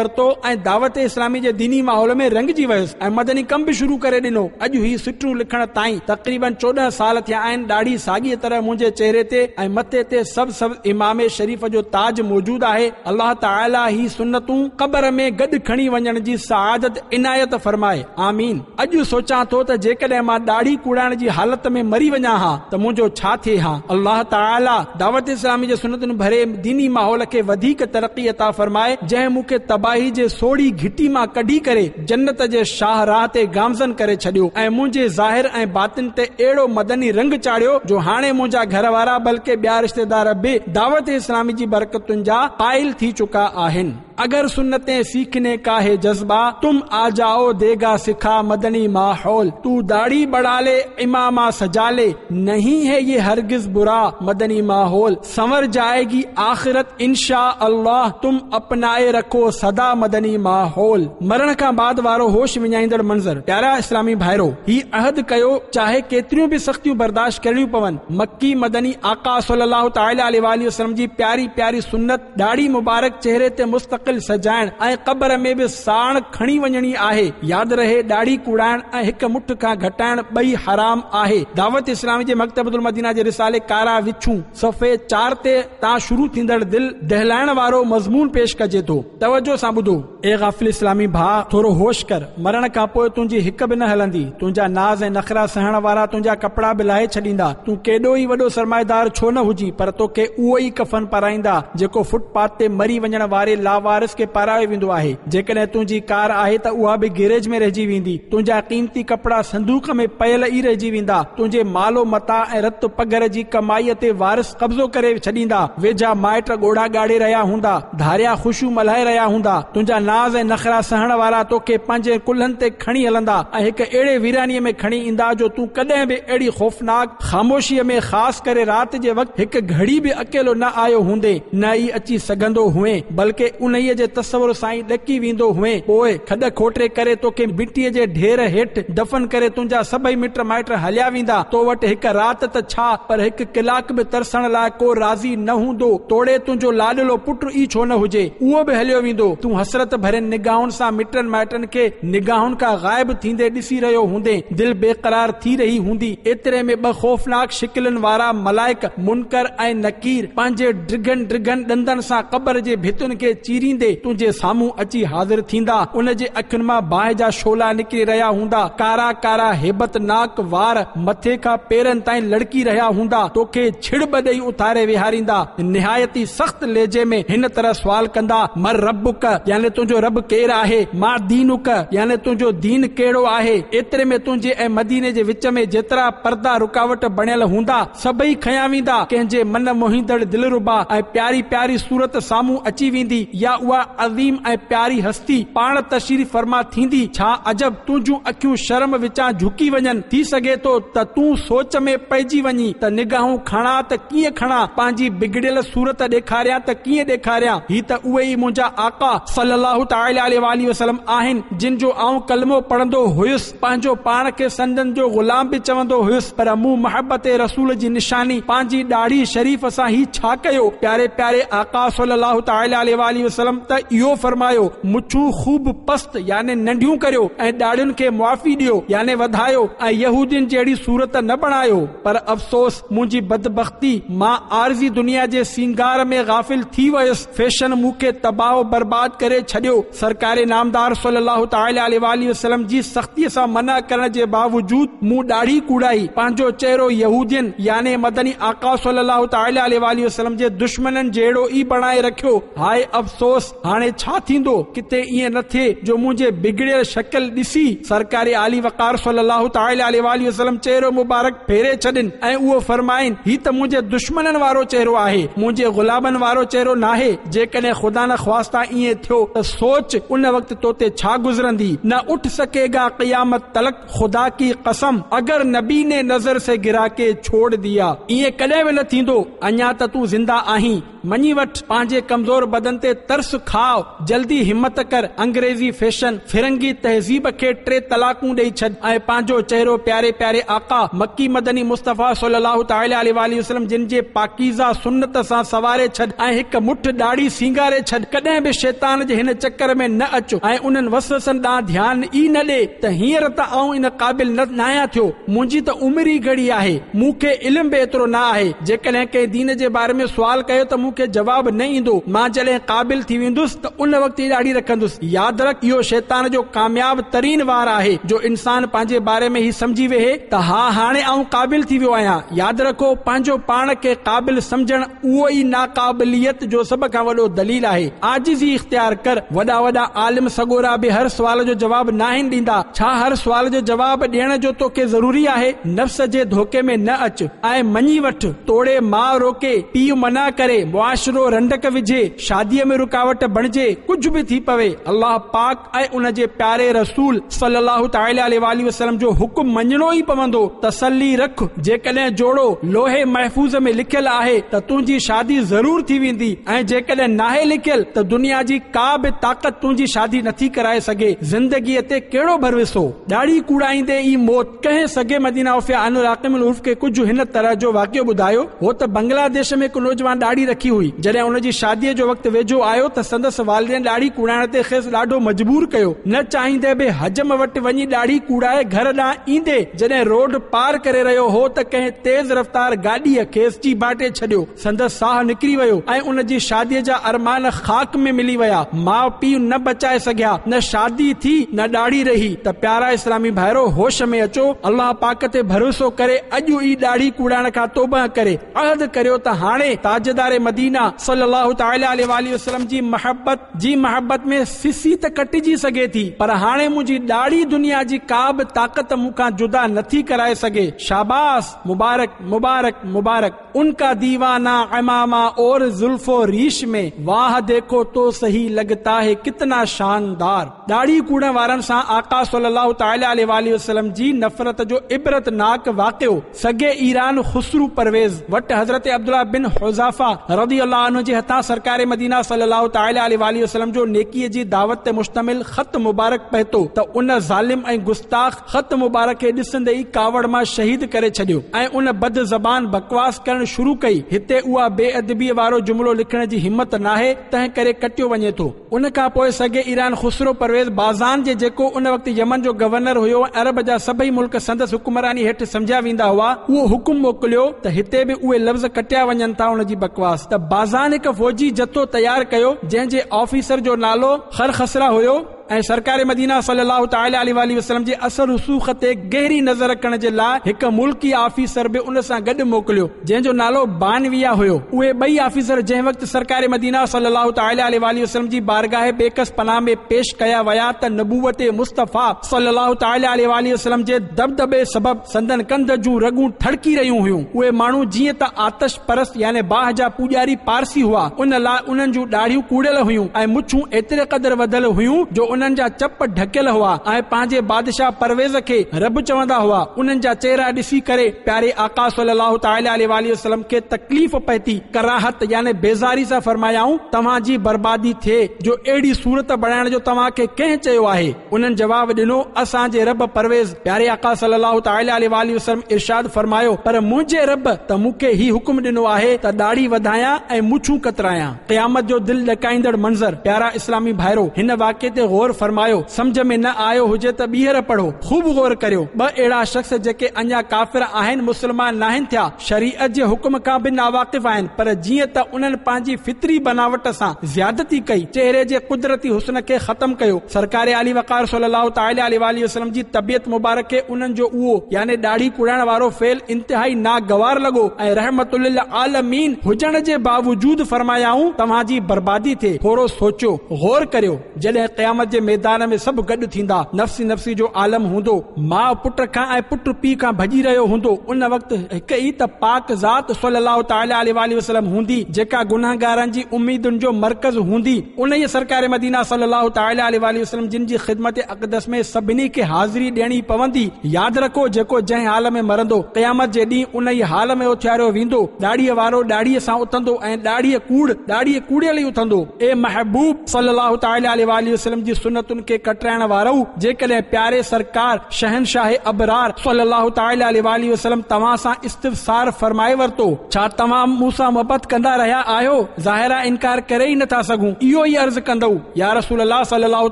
ورتو ۽ دعوت اسلامي جي ديني ماحول ۾ رڱجي ويس ۽ مدني ڪم به شروع ڪري ڏنو. اڄ هي سٽون لکڻ تائين تقريباً 14 سال ٿيا آهن ڏاڙهي ساڳيء طرح منهنجي چهري تي ۽ مٿي تي سبز سبز عمامي شريف جو تاج موجود آهي. الله تعالي هي سنتون قبر ۾ گڏ کڻي وڃڻ جي سعادت عنايت فرمائي. آمين. اڄ سوچان ٿو ته جيڪڏهن مان ڏاڙهي ڪوڙائڻ جي حالت ۾ مري وڃان ها ته منهنجو ڇا ٿئي ها؟ الله تعالي دعوت اسلامي جي سنتن ڀري ديني ماحول کي وڌيڪ ترقي عطا فرمائي جنهن مون کي تباهي جي سوڙهي گهٽي مان ڪڍي ڪري جنت جي شاهه راهه تي گامزن ڪري ڇڏيو ۽ منهنجي ظاهر ۽ باطن تي اهڙو مدني رنگ چاڙهيو جو هاڻي منهنجا گهر وارا بلڪه ٻيا رشتيدار به دعوت اسلامي جي برڪتن جا قائل ٿي چڪا آهن. اگر سنتين سيکني ڪا هي جذبه تم آ جائو ديگا سکا مدني ماحول تو داڙهي بڙها لي عمامه سجا لي نهين هي يه هرگز برا مدني ماحول سنور جائيگي آخرت انشاء الله تم اپنائي رکو سدا مدني ماحول مرڻ کان بعد وارو هوش وڃائيندڙ منظر پيارا اسلامي ڀائرو هي عهد ڪيو چاهي ڪيتريون به سختيون برداشت ڪرڻيون پون مڪي مدني آقا صلي الله تعالي عليه واٰله وسلم جي پياري پياري سنت ڏاڙهي مبارڪ چهري تي مستقل سجائڻ ۽ قبر ۾ به ساڻ کڻي وڃڻي آهي. ياد رهي ڏاڙهي ڪوڙائڻ ۽ هڪ مٺ کان گهٽائڻ ٻئي حرام آهي. دعوت اسلامي جي مڪتبة المدينه جي رسالي ڪارا وڇون صفحي 4 تي تان شروع ٿيندڙ دل دهلائڻ وارو مضمون پيش ڪجي ٿو. توجه سان ٻڌو. اي غافل اسلامي ڀاء! ٿورو هوش ڪر. مرڻ کان پوء تنهنجي هڪ به نه هلندي. تنهنجا ناز ۽ نخرا سهڻ وارا تنهنجا ڪپڙا به لاهي ڇڏيندا. تون ڪيڏو ئي وڏو سرمائيدار ڇو نه هجين پر توکي اهو ئي ڪفن پارائيندا جيڪو فٽ پاٿ تي مري وڃڻ واري لاوارث کي پارايو ويندو آهي. جيڪڏهن تنهنجي ڪار آهي ته اها به گيريج ۾ رهجي ويندي. تنهنجا قيمتي ڪپڙا صندوق ۾ پيل ئي رهجي ويندا. تنهنجي مال و متاع ۽ رت پگهر جي ڪمائيء تي وارث قبضو ڪري ڇڏيندا. ويجها مائٽ ڳوڙها ڳاڙي رهيا هوندا. ڌاريا خوشيون ملهائي رهيا هوندا، تنهنجا ناز ۽ نخرا سهڻ وارا توکي پنهنجين ڪلهن تي کڻي هلندا ۽ هڪ اهڙي ويرانيء ۾ کڻي ايندا جو تون ڪڏهن به اهڙي خوفناڪ خاموشيء ۾ خاص ڪري رات جي وقت هڪ گهڙي به اڪيلو نه آيو هوندين، نه ئي اچي سگهندو هئين، بلڪه انهيء جي تصور سان ئي ڏڪي ويندو هئين. پوء کڏ کوٽي ڪري توکي مٽيء جي ڍير هيٺ دفن ڪري تنهنجا سڀئي مٽ مائٽ هليا ويندا. تو وٽ هڪ رات ته ڇا، پر هڪ ڪلاڪ به ترسڻ لاء ڪو راضي نه هوندو، توڙي تنهنجو لاڏلو پٽ ئي ڇو نه هجي، اهو به هليو ويندو. تون حسرت ڀرين نگاهن سان مٽن مائٽن کي نگاهن کان غائب ٿيندي ڏسي رهيو هوندين. دل بيقرار ٿي رهي هوندي. ايتري ۾ ٻه خوفناڪ شڪلين وارا ملائڪ منڪر ۽ نڪير پنهنجي ڊگهن ڊگهن ڏندن سان قبر جي ڀتين کي چيريندي تنهنجي سامهون اچي حاضر ٿيندا. ان جي اکين مان باهه جا شعلا نڪري رهيا هوندا. ڪارا ڪارا هيبتناڪ وار مٿي کان پيرن تائين لڙڪي رهيا هوندا، توکي ڇڙٻ ڏئي اٿاري ويهاريندا، نهايت ئي سخت لهجي ۾ هن طرح سوال ڪندا، من ربک، يعني تنهنجو رب ڪير آهي؟ ما دينک، يعني تنهنجو دين ڪهڙو آهي؟ ايتري ۾ تنهنجي ۽ مديني جي وچ ۾ جيترا پردا رڪاوٽ بڻيل هوندا، سڀئي کنيا ويندا، ڪنهن جي من موهيندڙ دلربا ۽ پياري پياري صورت سامهون اچي ويندي يا اها عظيم ۽ پياري هستي پاڻ تشريف فرما ٿيندي، ڇا عجب! تنهنجون اکيون شرم وچان جهڪي وڃن، ٿي سگهي ٿو ته تون سوچ ۾ پئجي وڃين ته نگاهون کڻان ته ڪيئن کڻان، پنهنجي بگڙيل صورت ڏيکاريان ته ڪيئن ڏيکاريان، هي ته اهي ئي منهنجا آقا صلّي الله تعالٰي عليه واٰله وسلّم آهن، جن جو آئون ڪلمو پڙهندو هيس، پنهنجو پاڻ کي سندن جو غلام به چوندو هيس، پر مون محبت رسول جي نشاني پنهنجي ڏاڙهي شريف سان هي ڇا ڪيو؟ پياري پياري آقا صلّي الله تعالٰي عليه واٰله وسلّم! وسلم ته اهو فرمايو، مڇون خوب پست يعني ننڍيون ڪريو ۽ ڏاڙهين کي معافي ڏيو يعني وڌايو ۽ يهودين جهڙي صورت نه بڻايو. پر افسوس منهنجي بدبختي، مان عارضي دنيا جي سينگار ۾ غافل ٿي ويس، فيشن مون کي تباهه و برباد ڪري ڇڏيو. سرڪار نامدار صلّي الله تعالٰي عليه واٰله وسلّم جي سختيء سان منع ڪرڻ جي باوجود مون ڏاڙهي ڪوڙائي، پنهنجو چهرو يهودين يعني مدني آقا صلّي الله تعالٰي عليه واٰله وسلّم جي دشمنن جهڙو ئي بڻائي رکيو. هاء افسوس! هاڻي ڇا ٿيندو؟ ڪٿي ائين نه ٿئي جو منهنجي بگڙيل شڪل ڏسي سرڪار عالي وقار صلّي الله تعالٰي عليه واٰله وسلّم چهرو مبارڪ ڦيري ڇڏين ۽ اهو فرمائين، هي ته منهنجي دشمنن وارو چهرو آهي، منهنجي غلامن وارو چهرو ناهي. جيڪڏهن خدانخواسته ائين ٿيو ته سوچ ان وقت تو تي ڇا گذرندي؟ نه اٺ سڪي گا قيامت تلڪ خدا ڪي قسم اگر نبي ني نظر سي گرا ڪي ڇوڙ ديا. ائين ڪڏهن به نه ٿيندو، اڃا ته تون زنده آهين، مڃي وٺ، پنهنجي ڪمزور بدن تي ترس کاء، جلدي همت ڪر، انگريزي فيشن، فرنگي تهذيب کي ٽي طلاقون ڏئي ڇڏ ۽ پنهنجو چهرو پياري پياري آقا، مڪي مدني مصطفيٰ صلّي الله تعالٰي عليه واٰله وسلّم جن جي پاڪيزه سنت سان سنواري ڇڏ ۽ هڪ مٺ ڏاڙهي سينگاري ڇڏ، ڪڏهن به شيطان جي هن چڪر ۾ نه اچ ۽ انهن وسوسن ڏانهن ڌيان ئي نه ڏي ته هينئر ته آئون ان قابل نه ناهيان ٿيو، منهنجي ته عمر ئي گهڻي آهي، مون کي علم به ايترو نه آهي، جيڪڏهن ڪنهن دين جي باري ۾ سوال ڪيو ته مون کي جواب نه ايندو، مان جڏهن قابل ٿي ويندس ته ان وقت ئي ڏاڙهي رکندس. ياد رک اهو شيطان جو ڪامياب ترين وار آهي جو انسان پنهنجي باري ۾ هي سمجهي ويهي ته ها هاڻي آئون قابل ٿي ويو آهيان. ياد رکو پنهنجو پاڻ کي قابل سمجهڻ اهو ئي ناقابليت جو سڀ کان وڏو دليل آهي. عاجزي اختيار ڪر. وڏا وڏا عالم سڳورا به هر سوال جو جواب ناهن ڏيندا. ڇا هر سوال جو جواب ڏيڻ جو توکي ضروري آهي؟ نفس جي ڌوڪي ۾ نه اچ ۽ مڃي وٺ. توڙي ماء روڪي، پيء منع ڪري، معاشرو رنڊڪ وجهي، شاديء ۾ رڪاوٽ بڻجي، ڪجهه به ٿي پوي، الله پاڪ ۽ ان جي پياري رسول صلّي الله تعالٰي عليه واٰله وسلّم جو حڪم مڃڻو ئي پوندو، تسلي رک، جيڪڏهن جوڙو لوح محفوظ ۾ لکيل آهي ته تنهنجي شادي ضرور ٿي ويندي ۽ جيڪڏهن ناهي لکيل ته دنيا جي ڪا به طاقت تنهنجي شادي نٿي ڪرائي سگهي، زندگيء تي ڪهڙو ڀروسو؟ ڏاڙهي ڪوڙائيندي ئي موت. ڪنهن سڳي مدينه عوفيه عنه راقم الحروف کي ڪجهه هن طرح جو واقعو ٻڌايو هو ته بنگلاديش ۾ هڪ نوجوان ڏاڙهي رکي هئي. جڏهن ان جي شاديء جو وقت ويجهو آيو ته سندس والدين ڏاڙهي ڪوڙائڻ تي کيس ڏاڍو مجبور ڪيو. نه چاهيندي به حجم وٽ وڃي ڏاڙهي ڪوڙائي گهر ڏانهن ايندي جڏهن روڊ پار ڪري رهيو هو ته ڪنهن تيز رفتار گاڏيء کيس چيڀاٽي ڇڏيو. سندس ساهه نڪري ويو ۽ ان جي شاديء جا ارمان خاڪ ۾ ملي ويا. ماء پيء نه بچائي سگهيا، نه شادي ٿي نه ڏاڙهي رهي ته پيارا اسلامي ڀائرو هوش ۾ اچو، الله پاڪ تي ڀروسو ڪري اڄ ئي ڏاڙهي ڪوڙائڻ کان توبهه ڪري عهد ڪريو ته هاڻي تاجدار مدينه صلي الله تعالٰي عليه واٰله وسلم جي محبت جي محبت ۾ سسي ته ڪٽجي سگهي ٿي پر هاڻي منهنجي ڏاڙهي دنيا جي ڪا به طاقت مون کان جدا نٿي ڪرائي سگهي. شاباس! مبارڪ! مبارڪ! مبارڪ! ان ڪا ديوانه عمامه اور زلف و ريش ۾ واه ديکو تو سهي لگتا هي ڪتنا شاندار. ڏاڙهي ڪوڙڻ وارن سان آقا صلي الله تعالي عليه واٰله وسلم جي نفرت جو عبرت ناڪ واقعو سڳي ايران خسرو پرويز وٽ حضرت عبدالله بن حذافه رضي الله عنه جي هٿان سرڪار مدينه صلي الله تعالي عليه واٰله وسلم جو نيڪي جي دعوت تي مشتمل خط مبارڪ پهتو ته ان ظالم ۽ گستاخ خط مبارڪ کي ڏسندي ئي ڪاوڙ مان شهيد ڪري ڇڏيو ۽ ان بد زبان بڪواس ڪرڻ شروع ڪئي. هتي اها بي ادبيء وارو جملو لکڻ جي همت ناهي، تنهن ڪري ڪٽيو وڃي ٿو. ان کان پوء سڳي ايران خسرو پرويز بازان جي جيڪو ان وقت يمن جو گورنر هيو ۽ عرب جا سڀئي ملڪ سندس حڪمراني هيٺ سمجهيا ويندا هئا، اهو حڪم موڪليو ته هتي به اهي لفظ ڪٽيا وڃن ٿا ان جي بڪواس ته بازان هڪ فوجي جٿو تيار ڪيو جنهن جي آفيسر جو نالو خرخسره هيو. ۽ سرڪار مدينه صلّي الله تعالٰي عليه واٰله وسلّم جي اثر رسوخ تي گهري نظر رکڻ جي لاء هڪ ملڪي آفيسر به ان سان گڏ موڪليو جنهن جو نالو بانويه هيو. اهي ٻئي آفيسر جنهن وقت سرڪار مدينه صلّي الله تعالٰي عليه واٰله وسلّم جي بارگاھ بيڪس پناھ ۾ پيش ڪيا ويا ته نبوت مصطفيٰ صلّي الله تعالٰي عليه واٰله وسلّم جي دٻدٻي سبب سندن ڪنڌ جون رڳون ٺڙڪي رهيون هيون. اهي ماڻهو جيئن ته آتش پرست يعني باهه جا پوڄاري پارسي هئا، ان لاء انهن جون ڏاڙهيون ڪوڙيل هيون ۽ مڇون ايتري قدر وڌل هيون جو انهن جا چپ ڍڪيل هئا ۽ پنهنجي بادشاهه پرويز کي رب چوندا هئا. انهن جا چهرا ڏسي ڪري پياري آقا صلّي الله تعالٰي عليه واٰله وسلّم کي تڪليف پهتي، ڪراهت يعني بيزاري سان فرمايائون، توهان جي بربادي ٿئي جو اهڙي صورت بڻائڻ جو توهان کي ڪنهن چيو آهي؟ انهن جواب ڏنو، اسان جي رب پرويز، پياري آقا صلّي الله تعالٰي عليه واٰله وسلّم ارشاد فرمايو، پر منهنجي رب ته مون کي هي حڪم ڏنو آهي ته ڏاڙهي وڌايان ۽ مڇون ڪترايان. قيامت جو دل ڏڪائيندڙ منظر، پيارا اسلامي ڀائرو! هن واقعي تي غور فرمايو، سمجهه ۾ نه آيو هجي ته ٻيهر پڙهو، خوب غور ڪريو، ٻه اهڙا شخص جيڪي اڃا ڪافر آهن، مسلمان ناهن ٿيا، شريعت جي حڪم کان به ناواقف آهن، پر جيئن ته انهن پنهنجي فطري بناوٽ سان زيادتي ڪئي، چهري جي قدرتي حسن کي ختم ڪيو، سرڪار عالي وقار صلّي الله تعالٰي عليه واٰله وسلّم جي طبيعت مبارڪ کي انهن جو اهو، يعني ڏاڙهي ڪوڙائڻ وارو فعل انتهائي ناگوار لڳو ۽ رحمت للعالمين هجڻ جي باوجود فرمايائون، توهان جي بربادي ٿئي، ٿورو سوچيو، غور ڪريو، جڏهن قيامت جي ميدان ۾ سڀ گڏ ٿيندا، نفسي نفسي جو عالم هوندو، ماء پٽ کان ۽ پٽ پيء کان ڀڄي رهيو هوندو، ان وقت هڪ ئي ته پاڪ ذات صلّي الله تعالٰي عليه واٰله وسلّم هوندي، جيڪا گنهگارن جي اميدن جو مرڪز هوندي، انهيء سرڪار مدينه صلّي الله تعالٰي عليه واٰله وسلّم جن جي خدمت اقدس ۾ سڀني کي حاضري ڏيڻي پوندي. ياد رکو جيڪو جنهن حال ۾ مرندو، قيامت جي ڏينهن انهيء حال ۾ اٿياريو ويندو، ڏاڙهيء وارو ڏاڙهيء سان اٿندو ۽ ڏاڙهيء ڪوڙ، ڏاڙهيء ڪوڙيل ئي اٿندو. اي محبوب صلّي الله تعالٰي عليه واٰله وسلّم جي سنتن کي ڪٽرائڻ وارؤ! جيڪڏهن پياري سرڪار شهنشاهه ابرار صلّي الله تعالٰي عليه واٰله وسلّم توهان سان استفسار فرمائي ورتو، ڇا توهان مون سان محبت ڪندا رهيا آهيو؟ ظاهر آ انڪار ڪري ئي نٿا سگهون، اهو ئي عرض ڪندؤ، يا رسول الله صلّي الله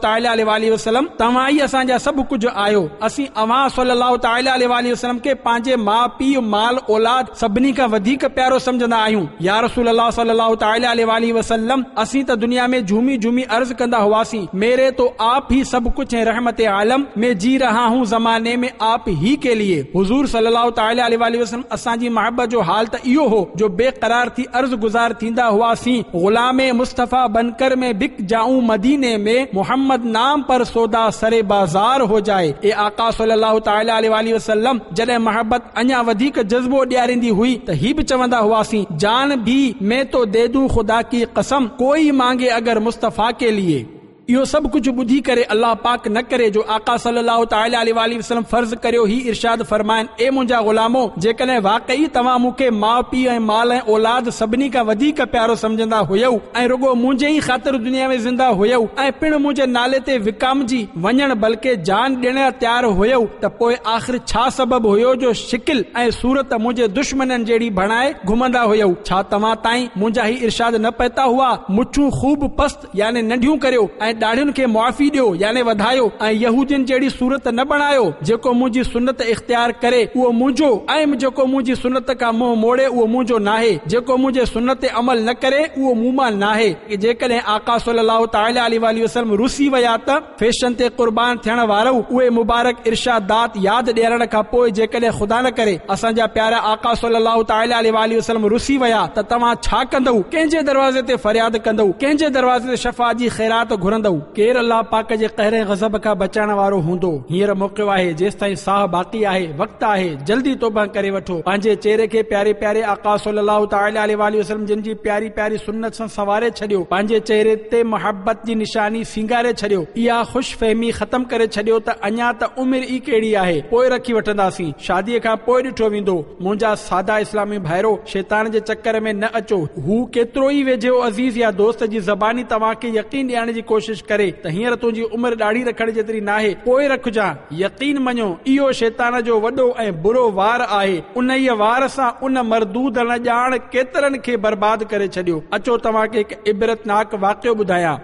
تعالٰي عليه واٰله وسلّم توهان ئي اسان جا سڀ ڪجهه آهيو، اسين اوهان صلّي الله تعالٰي عليه واٰله وسلّم کي پنهنجي ماء پيء، مال اولاد سڀني کان وڌيڪ پيارو سمجهندا آهيون، يا رسول الله صلّي الله تعالٰي عليه واٰله وسلّم اسين ته دنيا ۾ جهومي جهومي عرض ڪندا هئاسين، ميري تو آپ هي سڀ ڪجهه هين رحمت عالم، مين جي رها هون زماني ۾ آپ هي ڪي ليي. حضور صلّي الله تعالٰي عليه واٰله وسلّم اسان جي محبت جو حال ته اهو هو جو بي قرار ٿي عرض گذار ٿيندا هئاسين، غلام مصطفيٰ بنڪر مين بڪ جائون مديني ۾ محمد نام پر سودا سر بازار هو جائي. اي آقا صلّي الله تعالٰي عليه واٰله وسلّم جڏهن محبت اڃا وڌيڪ جذبو ڏياريندي هئي ته هي به چوندا هئاسين، جان ڀي مين تو the دون خدا ڪي قسم ڪوئي مانگي اگر مصطفيٰ ڪي ليي. اهو سڀ ڪجهه ٻڌي ڪري الله پاڪ نه ڪري جو آقا صلّي الله تعالٰي عليه واٰله وسلّم فرض ڪريو هي ارشاد فرمائن، اي منهنجا غلامو! جيڪڏهن واقعي توهان مون کي ماء پيء ۽ مال ۽ اولاد سڀني کان وڌيڪ پيارو سمجهندا هيؤ ۽ رڳو منهنجي ئي خاطر دنيا ۾ زنده هيؤ ۽ پڻ منهنجي نالي تي وڪامجي وڃڻ بلڪه جان ڏيڻ لاء تيار هيؤ ته پوء آخر ڇا سبب هيو جو شڪل ۽ صورت منهنجي دشمنن جهڙي بڻائي گهمندا هيؤ؟ ڇا توهان تائين منهنجا هي ارشاد نه پهتا هئا؟ مڇون خوب پست يعني ننڍيون ڪريو ۽ ڏاڙهين کي معافي ڏيو يعني وڌايو ۽ يهودين جهڙي صورت نه بڻايو، جيڪو منهنجي سنت اختيار ڪري اهو منهنجو ۽ جيڪو منهنجي سنت کان منهن موڙي اهو منهنجو ناهي، جيڪو منهنجي سنت تي عمل نه ڪري اهو مون مان ناهي. جيڪڏهن آقا صلّي الله تعالٰي عليه واٰله وسلّم رسي ويا ته فيشن تي قربان ٿيڻ وارؤ اهي مبارڪ ارشادات ياد ڏيارڻ کان پوء جيڪڏهن خدا نه ڪري اسان جا پيارا آقا صلّي الله تعالٰي عليه واٰله وسلّم رسي ويا ته توهان ڇا ڪندؤ؟ ڪنهن جي دروازي تي فرياد ڪندؤ؟ ڪنهن جي دروازي تي شفاعت جي خيرات گهرندؤ؟ ڪير الله پاڪ جي قهر ۽ غضب کان بچائڻ وارو هوندو؟ هينئر موقعو آهي، جيستائين ساهه باقي آهي، وقت آهي، جلدي توبه ڪري وٺو، پنهنجي چهري کي پياري پياري آقا صلّي الله تعالٰي عليه واٰله وسلّم جن جي پياري پياري سنت سان سنواري ڇڏيو، پنهنجي چهري تي محبت جي نشاني سينگاري ڇڏيو، اها خوش فهمي ختم ڪري ڇڏيو ته اڃا ته عمر ئي ڪهڙي آهي، پوء رکي وٺنداسين، شاديء کان پوء ڏٺو ويندو. منهنجا سادا اسلامي ڀائرو! شيطان جي چڪر ۾ نه اچو. هو ڪيترو ئي ويجهو عزيز يا دوست جي زباني توهان کي يقين ڏيارڻ جي ڪوشش ڪري ته هينئر تنهنجي عمر ڏاڙهي رکڻ جيتري ناهي، پوء رکجان. يقين مڃو، اهو شيطان جو وڏو ۽ برو وار آهي. انهيء وار سان ان مردود نه ڄاڻ ڪيترن کي برباد ڪري ڇڏيو. اچو توهان کي هڪ عبرتناڪ واقعو ٻڌايان.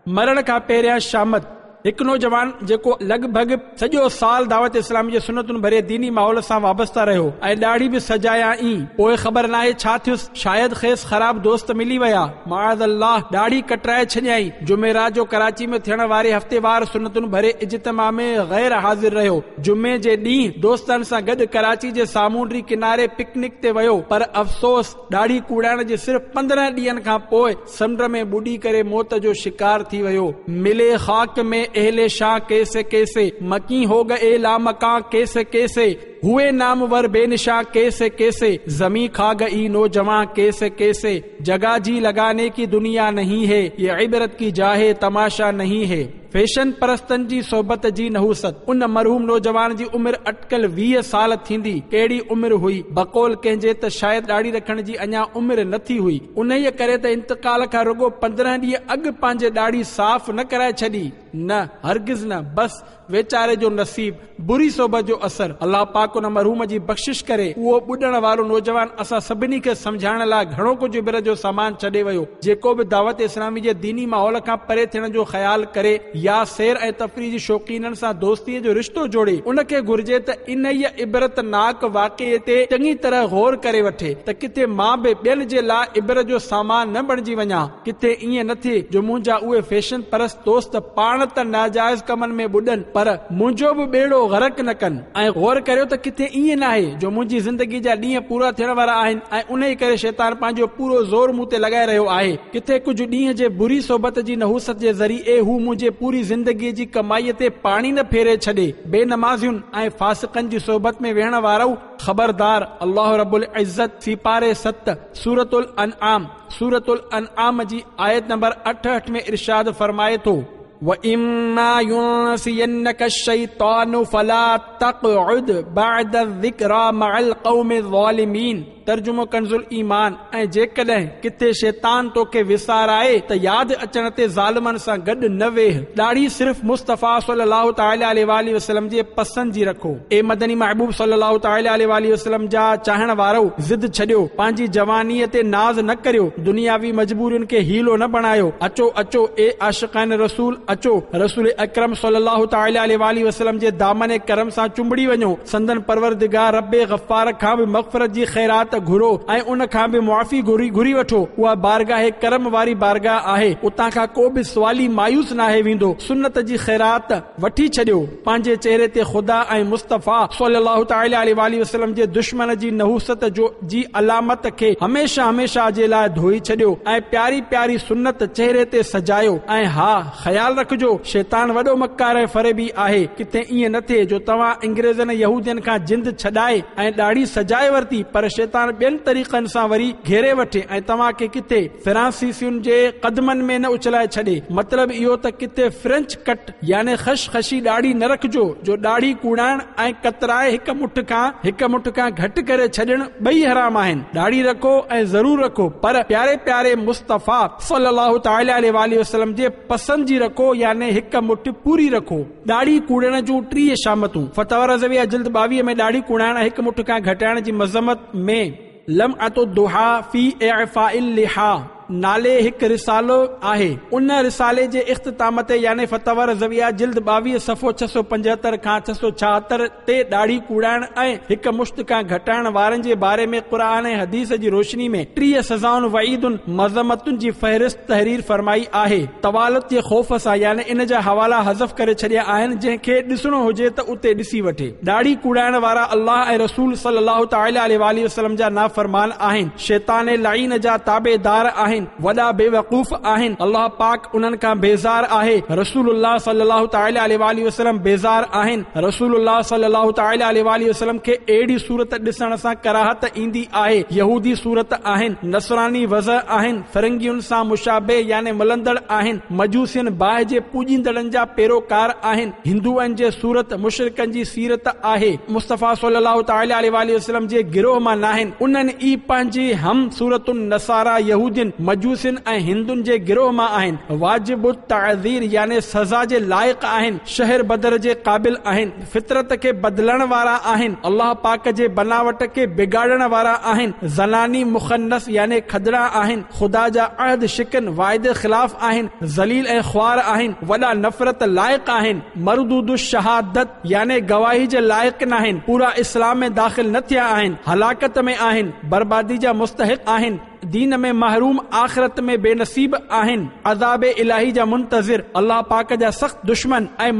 مرڻ کان پهريان شامت، هڪ نوجوان جيڪو لڳ ڀڳ سڄو سال دعوت اسلامي جي سنتن ڀري ديني ماحول سان وابسته رهيو ۽ ڏاڙهي به سجايائين، پوء خبر ناهي ڇا ٿيس، شايد کيس خراب دوست ملي ويا، معاذ الله، ڏاڙهي ڪٽرائي ڇڏيائين. جمعرات جو ڪراچي ۾ ٿيڻ واري هفتيوار سنتن ڀري اجتماع ۾ غير حاضر رهيو. جمعي جي ڏينهن دوستن سان گڏ ڪراچي جي سامونڊي ڪناري پڪنڪ تي ويو، پر افسوس ڏاڙهي ڪوڙائڻ جي صرف 15 ڏينهن کان پوء سمنڊ ۾ ٻڏي ڪري موت جو شڪار ٿي ويو. ملي خاڪ ۾ اهل شان ڪيسي ڪيسي، مڪين هو گئي لامڪان ڪيسي ڪيسي، هئي نامور بي نشان ڪيسي ڪيسي، زمين کا گئي نوجوان ڪيسي ڪيسي، جگه جي لگاني ڪي دنيا نهين هي، يه عبرت ڪي جا هي تماشا نهين هي. فيشن پرستن جي صحبت جي نحوست. ان مرحوم نوجوان جي عمر اٽڪل 20 سال ٿيندي. ڪهڙي عمر هئي؟ بقول ڪنهن جي ته شايد ڏاڙهي رکڻ جي اڃا عمر نه ٿي هئي. انهيء ڪري ته انتقال کان رڳو 15 ڏينهن اڳ پنهنجي ڏاڙهي صاف نه ڪرائي ڇڏي. نه، هرگز نه. بس، ويچاري جو نصيب، بري صحبت جو اثر. الله پاڪ ان مرحوم جي بخشش ڪري. اهو ٻڏڻ وارو نوجوان اسان سڀني کي سمجهائڻ لاء گهڻو ڪجهه عبرت جو سامان ڇڏي ويو. جيڪو به دعوت اسلامي جي ديني ماحول کان پري ٿيڻ جو خيال ڪري يا سير ۽ تفريح جي شوقينن سان دوستيء جو رشتو جوڙي، ان کي گهرجي ته انهيء عبرتناڪ واقعي تي چڱي طرح غور ڪري وٺي ته ڪٿي مان به ٻين جي لاء عبرت جو سامان نه بڻجي وڃان. ڪٿي ائين نه ٿئي جو منهنجا اهي فيشن پرست دوست پاڻ ته ناجائز ڪمن ۾ ٻڏن پر منهنجو به ٻيڙو غرق نه ڪن ۽ غور ڪريو ته ڪٿي ائين ناهي جو منهنجي زندگي جا ڏينهن پورا ٿيڻ وارا آهن ۽ انهي ڪري شيطان پنهنجو پورو زور مون تي لڳائي رهيو آهي. ڪٿي ڪجهه ڏينهن جي بري صحبت جي نحوست جي ذريعي هو منهنجي پوري زندگي جي ڪمائي تي پاڻي نه ڦيري ڇڏي. بي نمازين ۽ فاسقن جي صحبت ۾ ويهڻ وارؤ! خبردار! الله رب العزت سيپاري 7، سورة الانعام، سورة الانعام جي آيت نمبر 68 ۾ ارشاد فرمائي ٿو. وَإِمَّا يُنْسِيَنَّكَ الشَّيْطَانُ فَلَا تَقْعُدْ بَعْدَ الذِّكْرَىٰ مَعَ الْقَوْمِ الظَّالِمِينَ ترجمو ڪنز الايمان ۽ جيڪڏهن ڪٿي شيطان توکي وسارائي ته ياد اچڻ تي ظالمن سان گڏ نه ويهه. ڏاڙهي صرف مصطفيٰ صلّي الله تعالٰي عليه واٰله وسلّم جي پسند جي رکو. اي مدني محبوب صلّي الله تعالٰي عليه واٰله وسلّم جا چاهڻ وارؤ! ضد ڇڏيو، پنهنجي جوانيء تي ناز نه ڪريو، دنياوي مجبورين کي حيلو نه بڻايو، اچو اچو اي عاشقان رسول! اچو، رسول اڪرم صلّي الله تعالٰي عليه واٰله وسلّم جي دامن ڪرم سان چنبڙي وڃو، سندن پروردگار ربّ غفّار کان به مغفرت جي خيرات گهرو ۽ ان کان به معافي گهري گهري وٺو، اها بارگاھ ڪرم واري بارگاھ آهي، اتان کان ڪو به سوالي مايوس ناهي ويندو، سنّت جي خيرات وٺي ڇڏيو. پنهنجي چهري تي خدا ۽ مصطفيٰ صلّي الله تعالٰي عليه واٰله وسلّم جي دشمن جي نحوست جو جي علامت کي هميشه هميشه جي لاء ڌوئي ڇڏيو ۽ پياري پياري سنت چهري تي سجايو ۽ ها خيال رکجو شيطان وڏو مڪار ۽ فريبي آهي ڪٿي ائين نه ٿئي جو توهان انگريزن ۽ يهودين کان جند ڇڏائي ۽ ڏاڙهي سجائي ورتي پر شيطان ٻين طريقن سان وري گهيري وٺي ۽ توهان کي ڪٿي فرانسيسين جي قدمن ۾ نه اڇلائي ڇڏي مطلب اهو ته ڪٿي فرينچ ڪٽ يعني خش خشي ڏاڙهي نه رکجو جو ڏاڙهي ڪوڙائڻ ۽ ڪترائي هڪ مٺ کان هڪ مٺ کان گهٽ ڪري ڇڏڻ ٻئي حرام آهن. ڏاڙهي رکو ۽ ضرور رکو پر پياري پياري مصطفيٰ صلّي الله تعالٰي عليه واٰله وسلّم جي پسند جي رکو يعني هڪ مٺ پوري رکو. ڏاڙهي ڪوڙڻ جون 30 شامتون، فتاويٰ رضويه جلد 22 ۾ ڏاڙهي ڪوڙائڻ ۽ هڪ مٺ کان گهٽائڻ جي مذمت ۾. لمعة الضحيٰ في اعفاء اللحيٰ نالي هڪ رسالو آهي. ان رسالي جي اختتام تي يعني فتاويٰ رضويه جلد 22 صفحو 675 کان 676 تي ڏاڙهي ڪوڙائڻ ۽ هڪ مشت کان گهٽائڻ وارن جي باري ۾ قرآن ۽ حديث جي روشني ۾ 30 سزائن وعيدن مذمتن جي فهرست تحرير فرمائي آهي. طوالت جي خوف سان يعني ان جا حوالا حذف ڪري ڇڏيا آهن جنهن کي ڏسڻو هجي ته اتي ڏسي وٺي. ڏاڙهي ڪوڙائڻ وارا الله ۽ رسول صلّي الله تعالٰي عليه واٰله وسلّم جا نافرمان آهن، شيطان لعين جا تابعدار آهن، وڏا بيوقوف آهن، الله پاڪ انهن کان بيزار آهي، رسول الله صلّي الله تعالٰي عليه واٰله وسلّم بيزار آهن، رسول الله صلّي الله تعالٰي عليه واٰله وسلّم کي اهڙي صورت ڏسڻ سان ڪراهت ايندي آهي، يهودي صورت آهن، نصراني وضع آهن، فرنگين سان مشابه يعني ملندڙ آهن، مجوسين باهه جي پوڄيندڙن جا پيروڪار آهن. هندوئن جي صورت مشرڪن جي سيرت آهي، مصطفيٰ صلّي الله تعالٰي عليه واٰله وسلّم جي گروهه مان ناهن، انهن ئي پنهنجي هم صورتن نصاريٰ، يهودين، مجوسين ۽ هندن جي گروهه مان آهن، واجب التعزير يعني سزا جي لائق آهن، شهر بدر جي قابل آهن، فطرت کي بدلڻ وارا آهن، الله پاڪ جي بناوٽ کي بگاڙڻ وارا آهن، زناني مخنث يعني کدڙا آهن، خدا جا عهد شڪن، واعدي خلاف، آهن، ذليل ۽ خوار آهن، وڏا نفرت لائق آهن، مردود الشهادت يعني گواهي جي لائق ناهن، پورا اسلام ۾ داخل نه ٿيا آهن، هلاڪت ۾ آهن، بربادي جا مستحق آهن، دين ۾ محروم آخرت ۾ بي نصيب آهن، عذاب الاهي جا منتظر، الله پاڪ جا سخت دشمن ۽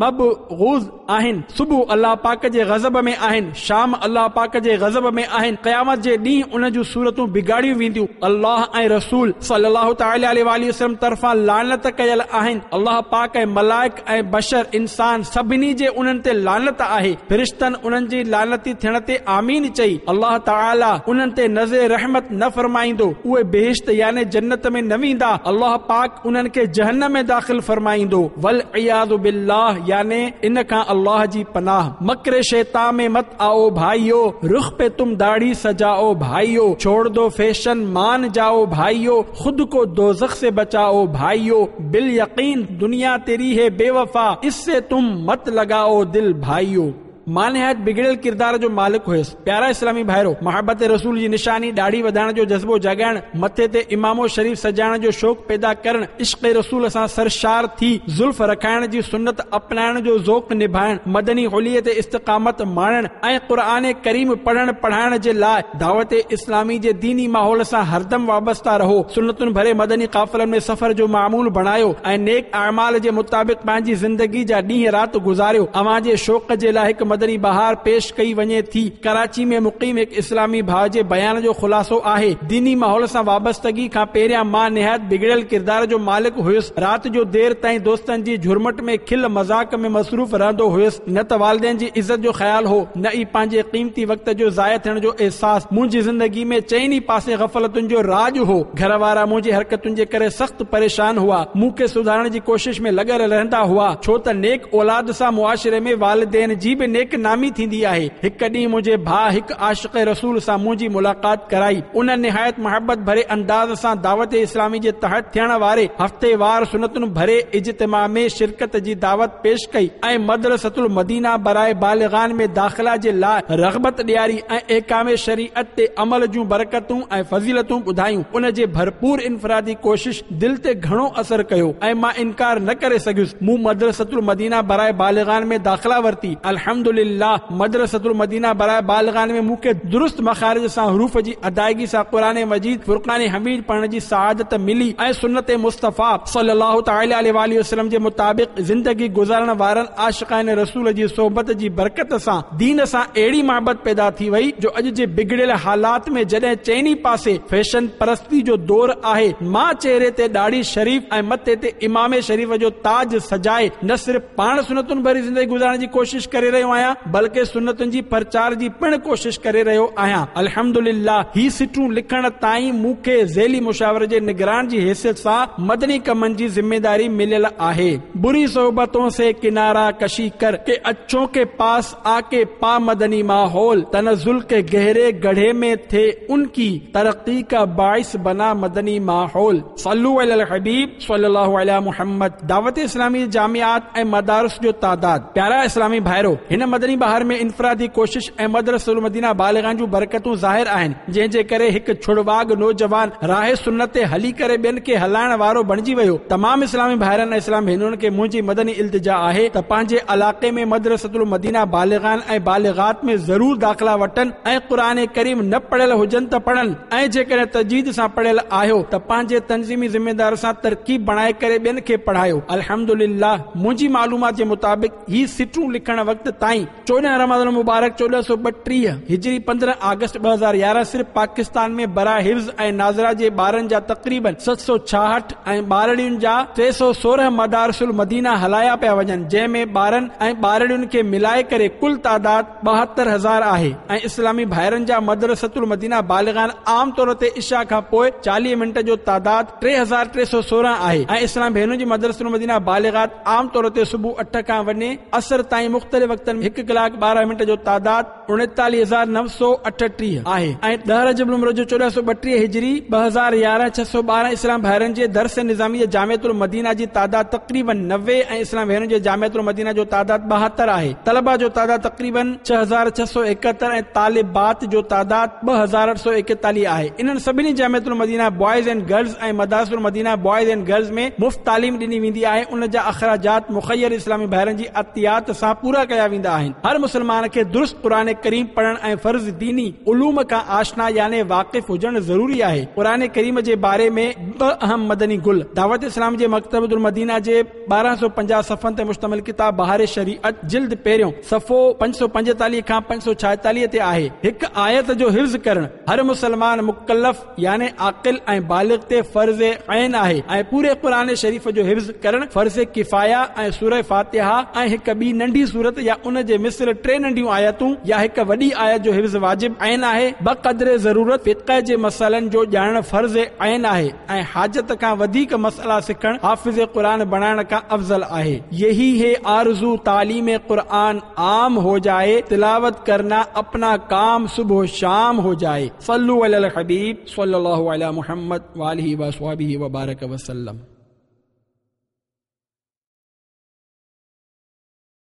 مبغوض. آهن، صبح الله پاڪ جي غضب ۾ آهن، شام الله پاڪ جي غضب ۾ آهن، قيامت جي ڏينهن انهن جون صورتون بگاڙيون وينديون، الله ۽ رسول صلّي الله تعالٰي عليه واٰله وسلّم طرفان لعنت ڪيل آهن، الله پاڪ ۽ ملائڪ ۽ بشر، انسان، سڀني جي انهن تي لعنت آهي، فرشتن انهن جي لعنتي ٿيڻ تي آمين چئي، الله تعالٰي انهن تي نظر رحمت نه فرمائيندو، اهي بهشت يعني جنت ۾ نه ويندا، الله پاڪ انهن کي جهنم ۾ داخل فرمائيندو، والعياذ بالله يعني ان کان الله جي پناهه. مڪر شيطان ۾ مت آئو ڀائيو، رخ پي تم داڙهي سجائو ڀائيو، ڇوڙ دو فيشن مان جائو ڀائيو، خود ڪو دوزخ سي بچائو ڀائيو، باليقين دنيا تيري هي بي وفا، اس سي تم مت لگائو دل ڀائيو. مان نهايت بگڙيل ڪردار جو مالڪ هيس. پيارا اسلامي ڀائرو! محبت رسول جي نشاني ڏاڙهي وڌائڻ جو جذبو جاڳائڻ، مٿي تي عمامو شريف سجائڻ جو شوق پيدا ڪرڻ، عشق رسول سان سرشار ٿي زلف رکائڻ جي سنت اپنائڻ جو ذوق نڀائڻ، مدني حليي تي استقامت ماڻڻ ۽ قرآن ڪريم پڙهڻ پڙهائڻ جي لاء دعوت اسلامي جي ديني ماحول سان هردم وابسته رهو، سنتن ڀري مدني قافلن ۾ سفر جو معمول بڻايو ۽ نيڪ اعمال جي مطابق پنهنجي زندگي جا ڏينهن رات گذاريو. اوهان جي شوق جي لاء هڪ مدني بهار پيش ڪئي وڃي ٿي. ڪراچي ۾ مقيم هڪ اسلامي ڀاء جي بيان جو خلاصو آهي، ديني ماحول سان وابستگي کان پهريان مان نهايت بگڙيل ڪردار جو مالڪ هيس، رات جو دير تائين دوستن جي جهرمٽ ۾ کل مذاق ۾ مصروف رهندو هيس، نه ته والدين جي عزت جو خيال هو، نه ئي پنهنجي قيمتي وقت جو ضايع ٿيڻ جو احساس. منهنجي زندگي ۾ چئن ئي پاسي غفلتن جو راڄ هو. گهر وارا منهنجي حرڪتن جي ڪري سخت پريشان هئا. مون کي سڌارڻ جي ڪوشش ۾ لڳل رهندا هئا، ڇو ته نيڪ اولاد سان معاشري ۾ والدين جي به نيڪ نامي ٿيندي آهي. هڪ ڏينهن منهنجي ڀاء هڪ عاشق رسول سان منهنجي ملاقات ڪرائي. ان نهايت محبت ڀري انداز سان دعوت اسلامي جي تحت ٿيڻ واري هفتيوار سنتن ڀري اجتماع ۾ شرڪت جي دعوت پيش ڪئي ۽ مدرسة المدينه براء بالغان ۾ داخلا جي لاء رغبت ڏياري ۽ احڪام شريعت تي عمل جون برڪتون ۽ فضيلتون ٻڌايون. ان جي ڀرپور انفرادي ڪوشش دل تي گهڻو اثر ڪيو ۽ مان انڪار نه ڪري سگهيس. مون مدرسة المدينه براء بالغان ۾ داخلا ورتي. الحمد لله مدرسة المدينه براء بالغان ۾ مون کي درست مخارج سان حروف جي ادائگي سان قرآن مجيد فرقان حميد پڙهڻ جي سعادت ملي ۽ سنت مصطفيٰ صلّي الله تعالٰي عليه واٰله وسلّم جي مطابق زندگي گذارڻ وارن عاشقان رسول جي صحبت جي برڪت سان دين سان اهڙي محبت پيدا ٿي وئي جو اڄ جي بگڙيل حالات ۾ جڏهن چئني پاسي فيشن پرستي جو دور آهي مان چهري تي ڏاڙهي شريف ۽ مٿي تي عمامي شريف جو تاج سجائي نه صرف پاڻ سنتن ڀري زندگي گذارڻ جي ڪوشش ڪري رهيو آهيان بلڪه سنتن جي پرچار جي پڻ ڪوشش ڪري رهيو آهيان. الحمدلله هي سٽون لکڻ تائين مون کي ذيلي مشاور جي نگران جي حيثيت سان مدني ڪمن جي ذميداري مليل آهي. بري صحبتون سي ڪناره ڪشي ڪر ڪي اڇون ڪي پاس آ ڪي پا مدني ماحول تنزل ڪي گهري گڙهي ۾ ٿي ان ڪي ترقي ڪا باعث بنا مدني ماحول. صلو علی الحبيب صلي الله علي محمد دعوت اسلامي جي جامعات ۽ مدارس جو تعداد. پيارا اسلامي ڀائرو! هن مدني بهار ۾ انفرادي ڪوشش ۽ مدرسة المدينه بالغان جون برڪتون ظاهر آهن، جنهن جي ڪري هڪ ڇڙواڳ نوجوان راهه سنت تي هلي ڪري ٻين کي هلائڻ وارو بڻجي ويو. تمام اسلامي ڀائرن ۽ اسلام ڀينرن کي منهنجي مدني التجا آهي ته پنهنجي علاقي ۾ مدرسة المدينه بالغان ۽ بالغات ۾ ضرور داخلا وٺن ۽ قرآن ڪريم نه پڙهيل هجن ته پڙهن. ۽ جيڪڏهن تجويد سان پڙهيل آهيو ته پنهنجي تنظيمي ذميدار سان ترڪيب بڻائي ڪري ٻين کي پڙهايو. الحمدلله منهنجي معلومات جي مطابق هي سٽون لکڻ وقت تائين 14 رمضان المبارڪ 1432 هجري 15 آگسٽ 2011 صرف پاڪستان ۾ براء حفظ ۽ ناظره جي ٻارن جا تقريباً 766 ۽ ٻارڙين جا 316 مدارس المدينه هلايا پيا وڃن جنهن ۾ ٻارن ۽ ٻارڙين کي ملائي ڪري ڪل تعداد 72 هزار آهي ۽ اسلامي ڀائرن جا مدرسة المدينه بالغان عام طور تي عشاء کان پوء 40 منٽ جو تعداد 3316 آهي ۽ اسلام ڀينرن جي مدرسة المدينه بالغات عام طور تي صبح اٺ کان وڃي عصر تائين مختلف وقتن ۾ هڪ ڪلاڪ 12 منٽ جو تعداد 39938 آهي ۽ 10 رجب المرجب 1432 هجري 2011 612 اسلام ڀائرن جي درس نظامي جي جامعة المدينه جي تعداد تقريباً 90 ۽ اسلام ڀينرن جي جامعة المدينه جو تعداد 72 آهي. طلبه جو تعداد تقريباً 6671 ۽ طالبات جو تعداد 2841 آهي. انهن سڀني جامعة المدينه بوائز اينڊ گرلز ۽ مدارس المدينه بوائز اينڊ گرلز ۾ مفت تعليم ڏني ويندي آهي ان جا اخراجات مخير اسلامي ڀائرن جي عطيات سان پورا ڪيا ويندا آهن. هر مسلمان کي درست قرآن ڪريم پڙهڻ ۽ فرض ديني علوم کان آشنا يعني واقف هجڻ ضروري آهي. قرآن ڪريم جي باري ۾ ٻه اهم مدني گل، دعوت اسلام جي مڪتبة المدينه جي 1250 صفحن تي مشتمل ڪتاب بهار شريعت جلد پهريون صفحو 545 کان 546 تي آهي. هڪ آيت جو حفظ ڪرڻ هر مسلمان مڪلف يعني عاقل ۽ بالغ تي فرض عين آهي ۽ پوري قرآن شريف جو حفظ ڪرڻ فرض ڪفايه ۽ سوره فاتحه ۽ هڪ ٻي ننڍي سورت يا ان جي مثل ٽي ننڍيون آيتون يا هڪ وڏي آيت جو حفظ واجب عين آهي. بقدر ضرورت فقه جي مسئلن جو ڄاڻڻ فرض عين آهي ۽ حاجت کان وڌيڪ مسئلا سکڻ حافظ قرآن بڻائڻ کان افضل آهي. يهي هي آرزو تعليم قرآن عام هو جائي تلاوت ڪرنا اپنا ڪام صبح شام هو جائي. صلو علي الحبيب صلي الله علي محمد واله وصحبه وبارڪ وسلم.